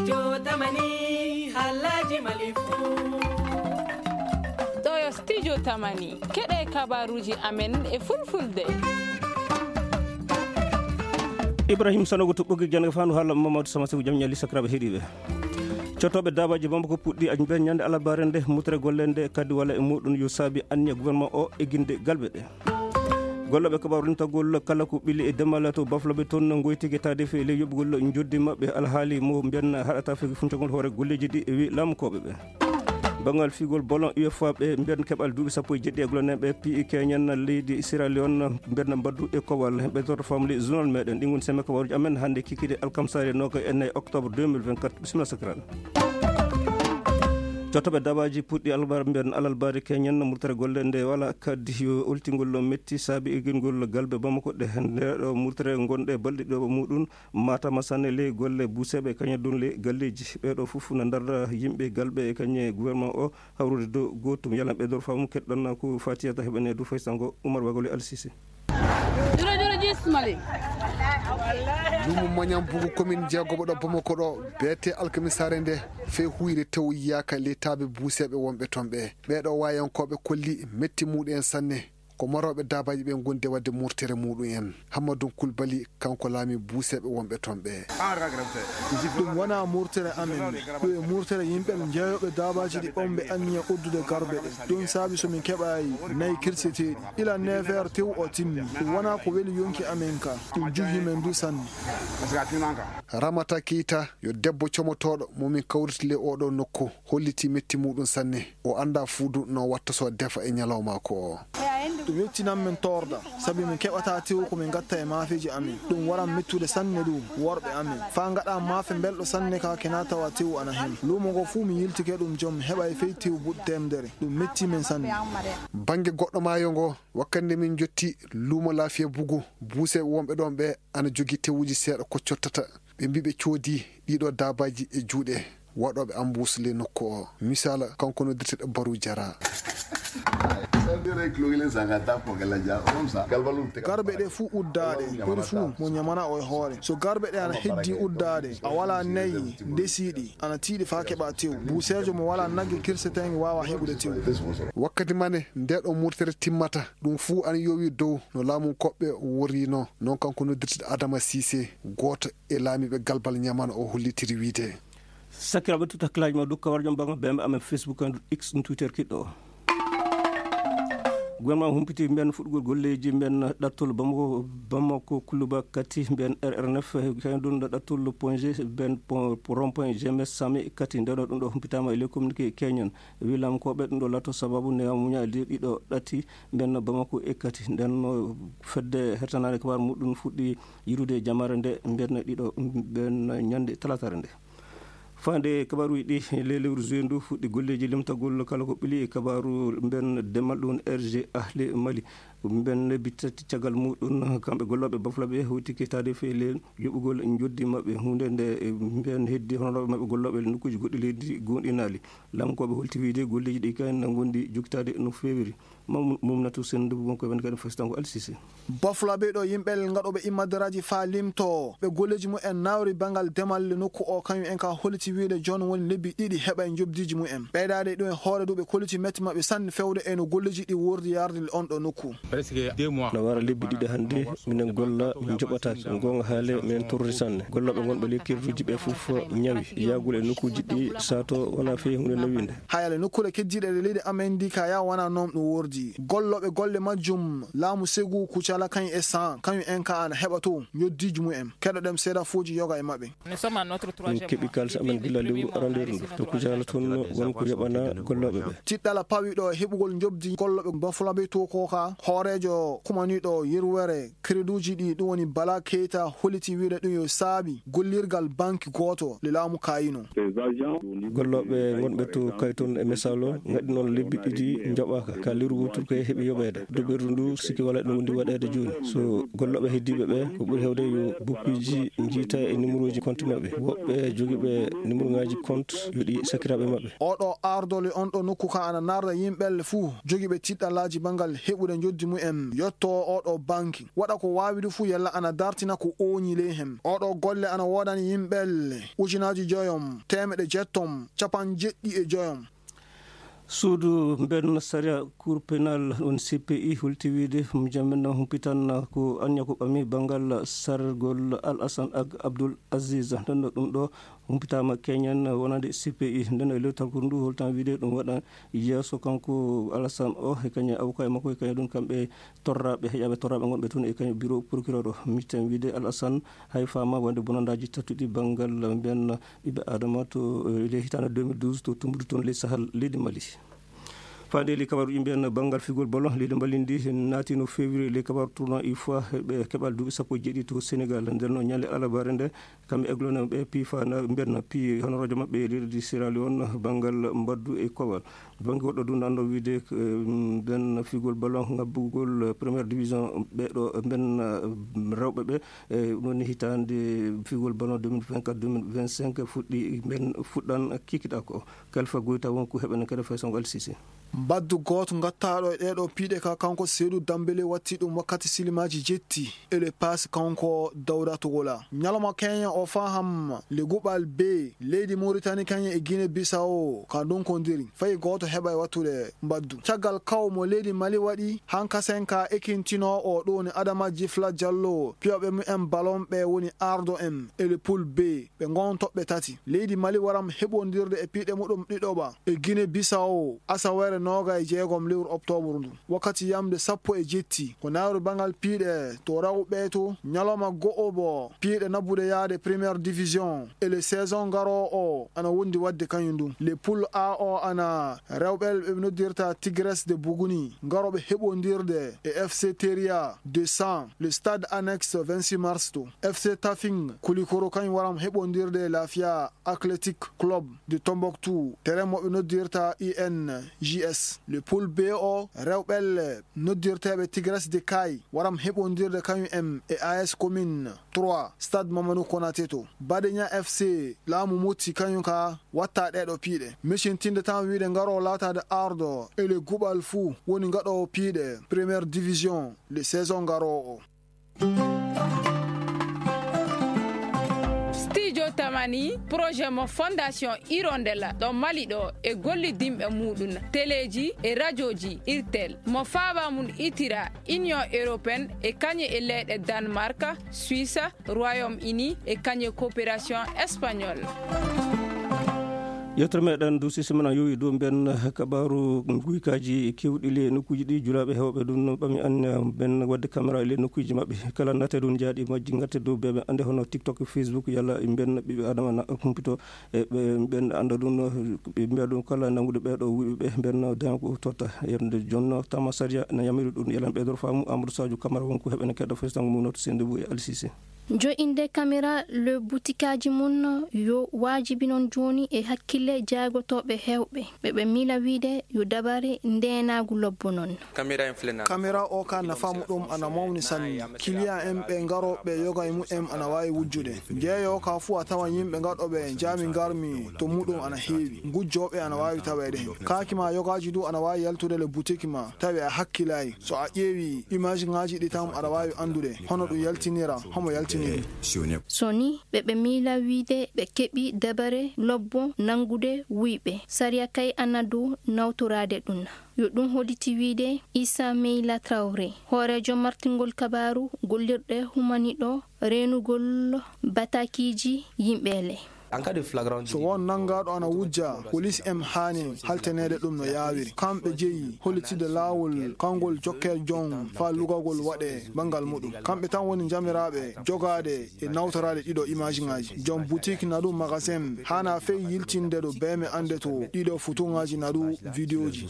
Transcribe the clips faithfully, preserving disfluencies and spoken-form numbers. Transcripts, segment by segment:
Jotamani, Alhaji Malifu. Ɗo yo Studio Tamani. Keɗe kabaruuji amen e Fulfulde. Ibrahim Sanogo to ɓoggi jannga fandu haala Mamadou Sama Seku jam ñalli sakiraaɓe heɗiiɓe. Cottooɓe daabaaji Bamako puɗɗi aji mbiyan ñande alarbaare nde mutere golle nde kadi wala e muɗum yo saabi anniya gouvernement o egginde galɓe ɗe. Gollooɓe kabaaru rentagol kala ko ɓili e demal to Bafulabe toon ngoytike taade fe ley yoɓugol njoɓdi maɓɓe alhaali mo mbiyan haɗata fege funcagol hoore golleeji ɗi e wi laamukooɓe ɓe. Banngal figol bolon U F A ɓe mbiyan keɓal duuɓi sappo e jeɗɗi e gollanee ɓe P I K ñan leydi Sierra Leone mbiyan mbaddu e kowal ɓe torto famli journal meɗen ɗi ngon seme kabaruji amen hannde kikide alkamsare noka e nayi octobre deux mille vingt-quatre. Bisimilla sakiraaɓe. Cottoɓe dabaaji puɗɗi alarba mbiyan alarbaare keñen murtere golle nde wala kadi yo oltingol metti saabi egingol galbe Bamako ɗe nde ɗo murtere ngonɗe balɗe ɗiɗo muɗum matama sanne ley golle buuseɓe kaña ɗum ley galleeji ɓeɗo fof na ndarda yimɓe galɓe e kañe gouvernement o hawrude dow gootum yalan ɓe dor famu keɗɗon ko fatiyata heɓene du faysango Oumar Bagole Alsisi. Lumo mañam bugu komin jeegoɓo ɗo Bamako ɗo beete alkamisaare nde fey huyre tew yiyaka ley taaɓe buuseeɓe wonɓe toon ɓe ɓeeɗo wayankooɓe kolli metti muɗum en sanne. Ko marooɓe daabaaji ɓe ngondi waɗde murtere muɗum en. Hammadou Koulibaly kanko laami buuseeɓe wonɓe toon ɓe. Ɗum wonaa murtere amen. Ɗum e murtere yimɓe jeeyooɓe daabaaji ɗi ɓamɓe anniya uddude garbe ɗe. Ɗum saabi so min keɓaayi nayi kirseteeɗi ila neef heures tew o timmi. Ɗum wonaa ko weli yonki amen ka. Ɗum juhi men du sanne. Ramata Keita yo debbo comotooɗo mo min kawriti ley oɗo nokku hollitii metti muɗum sanne. O anndaa fuu du no watta so defa e ñalawma ko o. Ɗum yettinan men toorda sabi min keɓataa tew ko min ngatta e maafeeji amen. Ɗum waran mettude sanne du worɓe amen faa ngaɗa maafe mbelɗo sanne ka kena tawa tew ana hen. Luumo ngo fuu mi yiltike ɗum joom heɓay fey tew buɗ teemdere. Ɗum mettii men sanne. Bannge goɗɗo maayo ngo wakkati nde min njotti luumo laafiya bugu buuseeɓe wonɓe ɗoon ɓe ana jogii tewuuji seeɗa ko cottata. Ɓe mbii ɓe coodii ɗiiɗoo daabaaji e juuɗe waɗooɓe ambuus ley nokku oo. Misaala, kanko noddirteeɗo Baruu Jaraa. Garbe ɗe fuu uddaaɗe, ɓuri fuu mo ñamana o e hoore. So garbe ɗe ana heddii uddaade, a walaa nayi ndesii ɗi, ana tiiɗi faa keɓaa tew. Buuseejo mo walaa nagge kirseteeŋge waawaa heɓude tew. Wakkati mane ndeeɗoo murtere timmata, ɗum fuu ana yowii dow no laamunkooɓe worriinoo. Noon kanko noddirteeɗo Adama Siise, gooto e laamiiɓe galbal ñamana o hollitiri wiyde. Sakiraaɓe, tut hakkillaaji ma dow kawarjam banngal B M amen Facebook en X ɗum Twitter kiɗɗo o. Gouvernement humpiti mbiyan fuɗɗugol golleeji mbiyan ɗattol Bamako, Bamako Kuluba Kati mbiyan R R neuf, kañum ɗum ɗo ɗattol point G mbiyan rond point G M S Sami Kati. Nden ɗum ɗo humpitaama e ley communiqué keñen. Wi laamukooɓe ɗum ɗo lato sababu ne muña e ley ɗiɗo ɗatti mbiyan Bamako e Kati. Nden no fedde hertanaade kabaar muɗum fuɗɗi yirude jamaare nde mbiyan ɗiɗo mbiyan ñande talaataare nde. Faande kabaaruuji ɗi, ley lewru juillet ndu fuɗɗi golleeji limtagol kala ko ɓili e kabaaru mben demal ɗum R G Ahli Mali. Mben lebbi tati caggal muɗum, kamɓe gollooɓe Bafulaɓe hewti ketaade fey ley yoɓugol njoddi maɓɓe. Huunde nde mben heddi honorooɓe maɓɓe gollooɓe nokkuuji goɗɗi leydi goonɗinaali. Laamukooɓe holti wiyde golleeji ɗi kay na ngondi jokkitaade no feewiri. Mum-, Mumnatu Senndu, won ko wiyande kadi Fasitango Alsise. Bafulaɓe ɗo yimɓe ngaɗooɓe immadaraaji faa limtoo ɓe golleeji mumen nawri banngal demal nokku o, kañum en ka holliti wiyde jooni woni lebbi ɗiɗi heɓay njoɓdiiji mumen. Ɓeydaade ɗum e hoore du ɓe kolliti metti maɓɓe sanne fewde e no golleeji ɗi wordi yarde on ɗo nokku. Presque deux mois. Na wara lebbi ɗiɗi hannde minen golla min njoɓataake. Goonga haale min torri sanne. Gollooɓe ngonɓe ley kerduuji ɓe fof ñawi. Yaagol e nokkuuji ɗi sato wona fey huunde newinde. Hayale nokkuure keddiiɗe e leydi amen ndi ka yaa wona noon ɗum wordi. Gollooɓe golle majjum laamu Segu Kucala kañum e San kañum en ka ana heɓa to njoddiiji mumen. Keɗoɗen seeɗa fooji yoga e maɓɓe. Min keɓi kaalis amen gila lewru arandeeru ndu. To Kucala toon won ko yoɓana gollooɓe ɓe. Tiɗɗala pawi ɗo heɓugol njobdi gollooɓe Bafulabe to ko ka hooreejo kumaniiɗo yerwere Kreduuji ɗi, ɗum woni Bala Keita, holliti wiyde ɗum yo saabi gollirgal banki gooto le laamu kaayino. Gollooɓe ngonɓe to Kayton e Mesalo ngaɗi noon lebbi ɗiɗi njoɓaaka. Ka lewru wootur ko heɓi yoɓeede. Duɓirdu ndu sikki wala ɗum ndi waɗeede jooni. So gollooɓe heddiiɓe ɓe, ko ɓuri heewde yo bukkiiji njiita e numéroji compte maɓɓe. Woɓɓe jogiiɓe numéroŋaaji compte yo ɗi sakiraaɓe maɓɓe. Oɗo ardole on ɗo nokku ka ana narda yimɓe fuu jogiiɓe tiɗɗalaaji banngal heɓude njoddi mumen yottoo oo ɗoo banki, waɗa ko waawi du fuu yalla ana dartina ko ooñi ley hen. Oo ɗoo golle ana woodani yimɓelle ujunaaji joyom, teemeɗɗe jettom, capanɗe jeɗɗi e joyom. Suudu mbenna sariya, Cour pénale, ɗum C P I, holti wiide mo jammen humpitan ko anniya ko ɓami banngal sargol Al Hassan ak Abdoul Aziz. Nden ɗum ɗo humpitaama keñen wonande C P I. Nden e lewtal ko ndu holtan wiide ɗum waɗa yeeso kanko Alassane o e kañum e avocat e makko e kañum ɗum kamɓe torraaɓe, heƴaaɓe torraaɓe ngonɓe toon e kañum bureau procureur o. Miten wiide Alassane hay faama wonde bonandaaji tatuɗi banngal mbiyan ɓiɓɓe Adama to, eh, ley hitaande deux mille douze to Tumbudu toon ley Sahel leydi Mali. Faande ley kabaaruuji mbiyan banngal figol ballon, leydi Mali ndi naatino février ley kabaaru tournoi U F O A ɓe keɓal duuɓi sappo e jeeɗiɗi to Sénégal. Nden noon ñande alabare nde kamɓe aiglonaaɓe ɓe piifa na mbiyan na pii honoroojo maɓɓe e leydi Sierra Leone banngal mbaddu e kowal. Bannge goɗɗo du nanndo wiide, eh, mbiyan figol ballon ngabbugol première division ɓe ɗo mbiyan, eh, rewɓe ɓe, eh, ɗum woni hitaande figol ballon deux mille vingt-quatre deux mille vingt-cinq fuɗɗi mbiyan fuɗɗan kikiɗa ko. Kalfa Goyta won ko heɓen kadi fay songo L C C. Mbaddu gooto ngattaaɗo e ɗee ɗoo piiɗe ka kanko Seydou Dambélé watti ɗum wakkati silimaaji jetti e le passe kanko Dawda Togola. Ñalawma keñen o faham le guɓal bee leydi Mauritanie kañum e Guinée Bissau ka ndunkondiri. Fay gooto heɓay wattude mbaddu. Caggal kaw mo leydi Mali waɗi, hankasen ka ekintinoo o ɗoo ni Adama Jifla Jallo, piyooɓe mumen ballon ɓe woni ardo en e le poule B. Ɓe ngon toɓɓe tati. Leydi Mali waram heɓondirde e piiɗe muɗum ɗiɗoɓa e Guinée Bissau, asaweere nooga e jeegom lewru oktoobar ndu. Wakkati yamde sappo e jetti, ko nawri banngal piiɗe to rewɓe to, ñalawma go'obo, piiɗe nabbude yaade première division e le saison ngaroo o ana wondi waɗde kañum ndun. Le poule A o ana rewɓe ɓe noddirta Tigres de Bougouni, ngarooɓe heɓondirde e F C Teria de San, le stade annexe vingt-six mars to. F C Tafing Koulikoro kañum waram heɓondirde e Lafia Athletic Club de Tombouctou, terrain mo ɓe noddirta I N J S. Le poule B o, rewɓe noddirteeɓe Tigres de Kay waram heɓondirde kañum en e A S Commune trois, stade Mamadou Konaté to. Badeña F C Laamu Motti kañum ka watta ɗee ɗoo piiɗe. Micintinde tan wiide ngaroo laataade ardo e le guɓal fuu woni ngaɗoowo piiɗe première division le saison ngaroo o. Studio Tamani, projet mo Fondation Hirondelle ɗo Mali ɗo e gollidinɓe muɗum, teleeji e rajooji Irtel, mo faaba mum itira Union Européenne e kañum e leyɗe Danemark, Suisse, Royaume-Uni e kañum e coopération espagnole. Yewtere meɗen du sisi men yowi dow mbiyan kabaaru guykaaji keewɗi ley nokkuuji ɗi julaaɓe heewɓe ɗum ɓami anniya mbiyan waɗde caméra ley nokkuuji maɓɓe. Kala naate ɗum jaaɗi majji ngatte dow beeɓe annde hono TikTok, Facebook, yalla mbiyan ɓiɓɓe Adama na humpito e ɓe mbiyan annda ɗum, ɓe mbiya ɗum kala nanngude ɓee ɗoo wuyɓe ɓe mbiyan daña ko totta. Yerde jonno tama sariya na yamiri ɗum. Yalan ɓeydoro faamu Amadou Sadio Camara won ko heɓen keɗɗo fes tango mum noto sende bu e L C C. Jo'inde kamera le butikaaji mum yo waajibi non jooni e hakkille jaagotooɓe heewɓe. Ɓe ɓe miila wiide yo dabare ndeenaagu lobbo non. Kamera o ka nafa muɗum ana mawni sanne. Kiliyan en ɓe ngarooɓe yoga e mumen ana waawi wujjude. Jeeyo ka fuu a tawan yimɓe gaɗooɓe jaami ngarmi to muɗum ana heewi. Ngujjooɓe ana waawi taweede hen. Kaaki ma yogaaji du ana waawi yaltude le butiki ma tawi a hakkilaay. So a ƴeewi image ŋaaji ɗi tan aɗa waawi anndude hono ɗum yaltinira, homo yaltiniri. So ni ɓe ɓe miila wiide ɓe keɓi dabare lobbo nanngude wuyɓe. Sariya kay ana dow nawtoraade ɗum. Yo ɗum holliti wiide Issa Meyla Traoré, hooreejo martingol kabaaru gollirɗe humaniɗo reenugol batakiiji yimɓeele. So won nanngaaɗo ana wujja, polis en haani haltaneede ɗum no yaawiri. Kamɓe jeyi hollitide laawol kangol jokkee jon faa lugagol waɗee banngal muɗum. Kamɓe tan woni njamiraaɓe jogaade e nawtoraade ɗiɗo imaajiŋaaji. Jom butik nadu magasin haana fey yiltinde ɗo beeme annde to ɗiɗo fotoŋaaji nadu vidiyooji.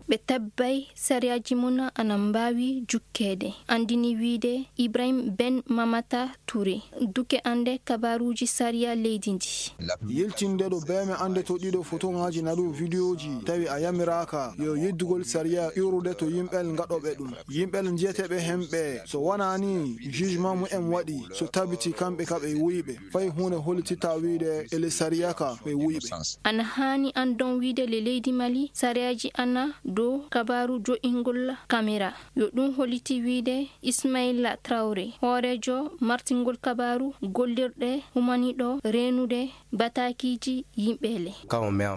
Ɓe tabbay sariyaaji mum ana mbaawi jukkeede, anndini wiide Ibrahim Ben Mamata Touré, duke annde kabaaruuji sariya leydi ndi. Yiltinde ɗo beeme annde to ɗiɗo fotoŋaaji naɗu widiyooji tawi a yamiraaka yo yeddugol sariya iwrude to yimɓel ngaɗooɓe ɗum. Yimɓel njiyeteeɓe hemɓe so wonaa ni jugement mumen waɗi so tabiti kamɓe ka ɓe wuyɓe fay huunde hollititta wiide ele sariya ka ɓe wuyɓe. Ana haani anndon wiide le leydi Mali sariyaaji ana dow kabaaru jo'ingol kamera. Yo ɗum holliti wiide Ismaila Traore hooreejo martingol kabaaru gollirɗe humaniɗo reenude batakiiji yimɓe le.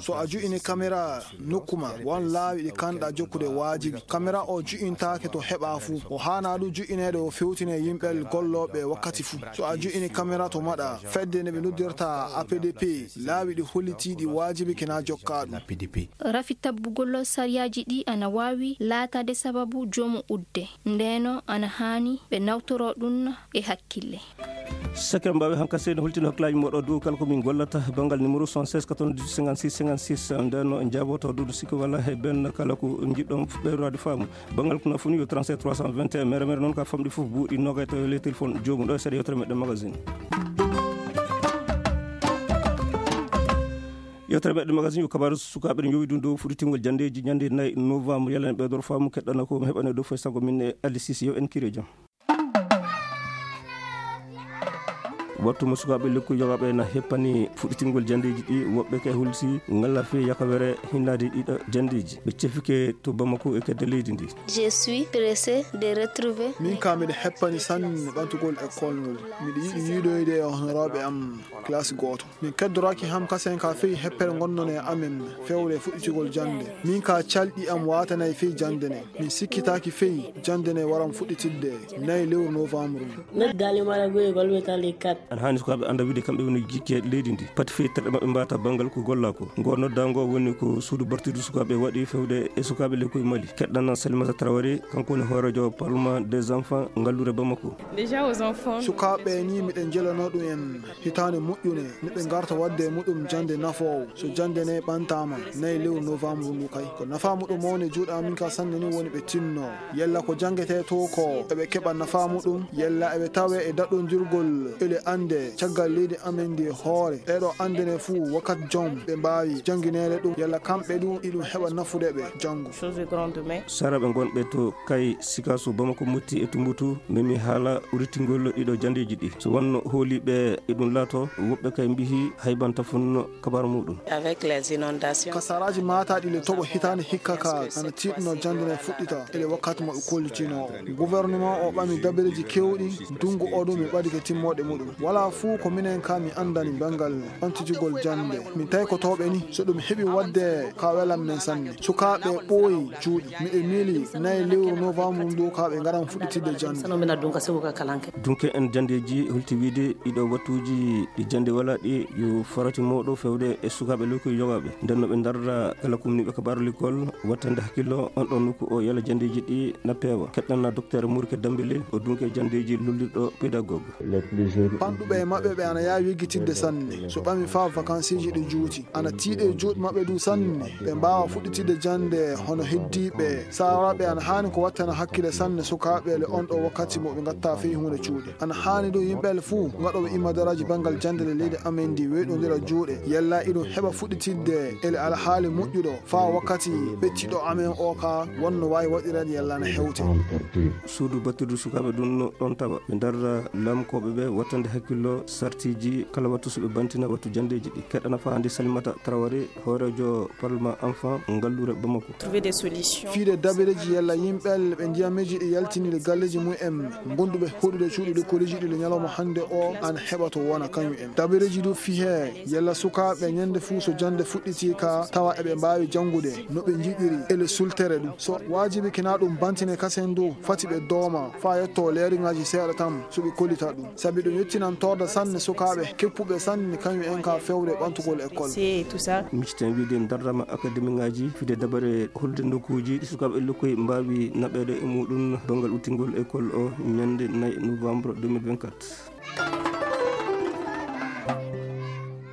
So a ju'ini kamera nokku ma won laawi ɗi kanɗa jokkude waajibi kamera o ju'intaake to heɓa fuu o haana ɗum ju'ineede o fewtine yimɓe gollooɓe wakkati fuu. So a ju'ini kamera to maɗa fedde nde ɓe noddirta A P D P laawi ɗi hollitiiɗi waajibi kina jokka ɗum. Rafi tabbugol sariyaaji ɗi ana waawi laataade sababu joomu udde. Ndeenoo ana haani ɓe nawtoroo ɗum e hakkille. Sakkiraaɓe mbaawi hankasee no holtino hakkillaaji mooɗon dow kala ko min gollata banngal numéro soixante-seize quatre-vingt-dix-huit cinquante-six cinquante-six. Ndeenoo en njaaboto duudu sikki walla he ben kala ko njiɗɗon ɓeydoraade faamu. Banngal ko nafuni yo trente-sept trois cent vingt et un mere mere noon ka famɗi fof buuɗi noogay tawi ley téléphone joomum ɗo e seeɗa yewtere meɗen magazine. Yewtere meɗen magazine yo kabaaru sukaaɓe ɗe njowi ɗum dow fuɗɗitingol janndeeji ñannde nayi novembre yalla en ɓeydoro faamu keɗɗana ko heɓane dow foy sago min e Alisis yo en kire jam. Wattu mo sukaaɓe lekku yogaaɓe na heppani fuɗɗitingol janndeeji ɗi woɓɓe kay hulsi ngalla fii yakawere hinnaade ɗiɗo janndeeji ɓe cefike to Bamako e kedde leydi ndi. Je suis pressé de retrouver. Min ka miɗo heppani sanne ɓantugol ekkol ngol. Miɗo yiɗi yiidoyde e honoraaɓe am classe gooto. Min keddoraaki ham kasen ka fii heppere ngonnon e amen fewre fuɗɗitigol jannde. Min ka calɗi am waatanay fii jannde ne. Min sikkitaaki fii jannde ne waran fuɗɗitidde nayi lewru novembre. Net dali mara goye golwe tali kat. Ana haani sukaaɓe annda wiide kamɓe woni jikke leydi ndi. Pati fii terɗe maɓɓe mbaata banngal ko gollaa ko. Ngoo noddaango woni ko suudu bartidu sukaaɓe waɗi fewde e sukaaɓe lekkoy Mali. Keɗɗana Salimata Traoré, kanko woni hooreejo Parlement des enfants ngallure Bamako. Déjà aux enfants. Sukaaɓe ni miɗen jelanoo ɗum en. Hitaande moƴƴunde nde ɓe ngarta waɗde e muɗum jannde nafoowo. So jannde ne ɓantaama nayi lewru novembre ndu kay, ko nafaa muɗum mawnde juuɗe amin ka sanne ni woni ɓe tinnoo. Yalla ko janngetee to ko eɓe keɓa nafaa muɗum, yalla eɓe tawee e daɗondirgol ele annde caggal leydi amen ndi e hoore. Ɗeeɗoo annde ne fuu wakkati jom ɓe mbaawi janngineede ɗum, yalla kamɓe ɗum iɗum heɓa nafude ɓe janngo. Saraaɓe ngonɓe to Kay, Sikaso, Bamako, Motti e Tumbutu, memi haala urittingol ɗiɗo janndeeji ɗi. So wonno hooliiɓe e ɗum laato, woɓɓe kay mbihi haybanta funno kabaru muɗum. Avec les inondations. Ka saraaji maataaɗi le toɓo hitaande hikka ka ana tiiɗno jannde ne fuɗɗita ele wakkati mo ɓe kollitinoo o. Gouvernement o ɓami dabareeji keewɗi, ndunngu o ɗum mi ɓadike timmoode muɗum. Walaa fuu ko minen ka mi anndani banngal ɓantitigol jannde. Min taykotooɓe ni, so ɗum heɓi waɗde ka welan men sanne. Sukaaɓe ɓooyi juuɗe. Miɗo miili nayi lewru novembre ndu ka ɓe ngaran fuɗɗitidde jannde. Dunke en janndeeji holti wiide ɗiɗo wattuuji ɗi jannde walaa ɗi yo farati mawɗo fewde e sukaaɓe lekkoy yogaaɓe. Nden no ɓe ndarra kala kumniiɓe kabaaru lekkol wattande hakkillo on ɗon nokku o yala janndeeji ɗi na peewa. Keɗɗanna Docteur Murke Dambele o dunke janndeeji lullirɗo pédagogue. Ɓanɗuɓe e maɓɓe ɓe ana yaawi yeggitidde sanne. So ɓami faa vakansiiji ɗi juuti. Ana tiiɗi e juuɗe maɓɓe duu sanne, ɓe mbaawa fuɗɗitidde jannde hono heddiiɓe. Saaraaɓe ana haani ko wattana hakkille sanne sukaaɓe le on ɗoo wakkati mo ɓe ngatta fey huunde cuuɗi. Ana haani duu yimɓe le fuu ngaɗooɓe immadaraaji banngal jannde le leydi amen ndi weeɗondira juuɗe, yalla iɗum heɓa fuɗɗitidde ele alhaali moƴƴuɗo faa wakkati ɓettiɗo amen oo kaa wonno waawi waɗireede yalla ana hewte. Suudu battirdu sukaaɓe ɗum no ɗon tawa. Ɓe ndarra laamkooɓe ɓe wattande hakkillo sartiiji kala wattu so ɓe bantina wattu janndeeji ɗi. Keɗɗana faa hannde Salimata Traoré, hooreejo Parlement Enfant ngalluure Bamako. Trouver des solutions. Fiide dabareeji yalla yimɓe le ɓe ndiyameeji ɗi yaltiniiɗi galleeji mum en ngonduɓe hoɗude cuuɗi lekkoleeji ɗi le ñalawma hannde o ana heɓa to wona kañum en. Dabareeji du fii hee yalla sukaaɓe ñannde fuu so jannde fuɗɗitii ka tawa eɓe mbaawi janngude no ɓe njiɗiri ele sultere ɗum. So waajibi kina ɗum bantine kasen du fati ɓe dooma faa yettoo leeriŋaaji seeɗa tan so ɓe kollita ɗum. Sabi ɗum yettinan torda sanne sukaaɓe keppuɓe sanne kañum en ka fewre ɓantugol école. Micciten wiide ndarrama akademiŋaaji fide dabare holde nokkuuji ɗi sukaaɓe lekkoy mbaawi naɓeede e muɗum banngal uttingol école o ñannde nayi novembre deux mille vingt-quatre.